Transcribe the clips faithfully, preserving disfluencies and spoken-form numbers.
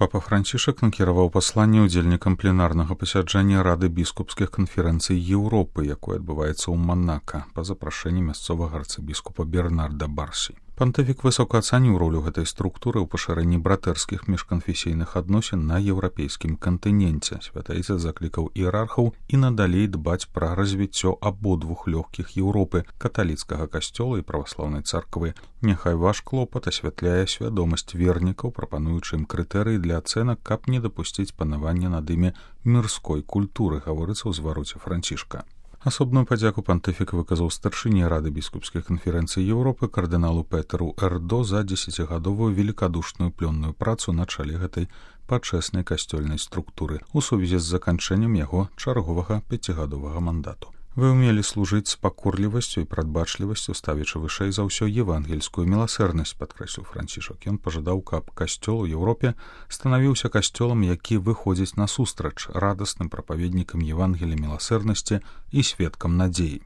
Папа Францішак накіраваў пасланне ўдзельнікам пленарнага пасяджэння Рады біскупскіх канферэнцый Еўропы, якое адбываецца ў Манака па запрашэнні мясцовага арцыбіскупа Бернарда Барсі. Пантыфік высока ацаніў ролю гэтай структуры ў пашырэнні братэрскіх міжканфесійных адносін на еўрапейскім кантыненце. Святаіца заклікаў іерархаў і надалей дбаць пра развіццё абодвух лёгкіх Еўропы, каталіцкага касцёла і праваслаўнай царквы. Няхай ваш клопат асвятляе свядомасць вернікаў, прапануючы ім крытэрыі для ацэнак, каб не дапусціць панавання над імі мірской культуры, гаворыцца ў звароце Францішка. Асобную падзяку пантыфік выказаў старшыні Рады біскупскіх канферэнцый Еўропы кардыналу Петэру Эрдо за дзесяцігадовую велікадушную плённую працу на чале гэтай пачэснай касцёльнай структуры у сувязі з заканчэннем яго чарговага пяцігадовага мандату. Вы ўмелі служыць з пакорлівасцю і прадбачлівасцю, ставячы вышэй за ўсё евангельскую міласэрнасць, падкрэсліў Францішак. Ён пажадаў, каб касцёл у Еўропе станавіўся касцёлам, які выходзіць насустрач радасным прапаведнікам Евангелія міласэрнасці і сведкам надзеі.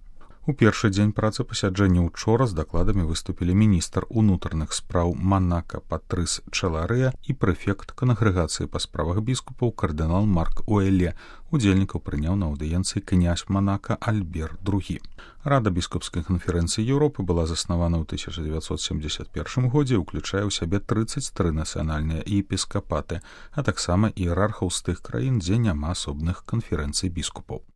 У першы дзень працы пасяджэння учора з дакладамі выступілі міністр унутраных спраў Манака Патрыс Чэларыя і прэфект кангрэгацыі па справах біскупаў кардынал Марк Уэлле. Удзельнікаў прыняў на аўдыенцыі князь Манака Альбер другі. Рада біскупскай канферэнцыі Еўропы была заснавана ў тысяча дзевяцьсот семдзесят першым годзе, уключае ў сябе трыццаць тры нацыянальныя епіскапаты, а таксама іерархаў з тых краін, дзе няма асобных канферэнцый біскупаў.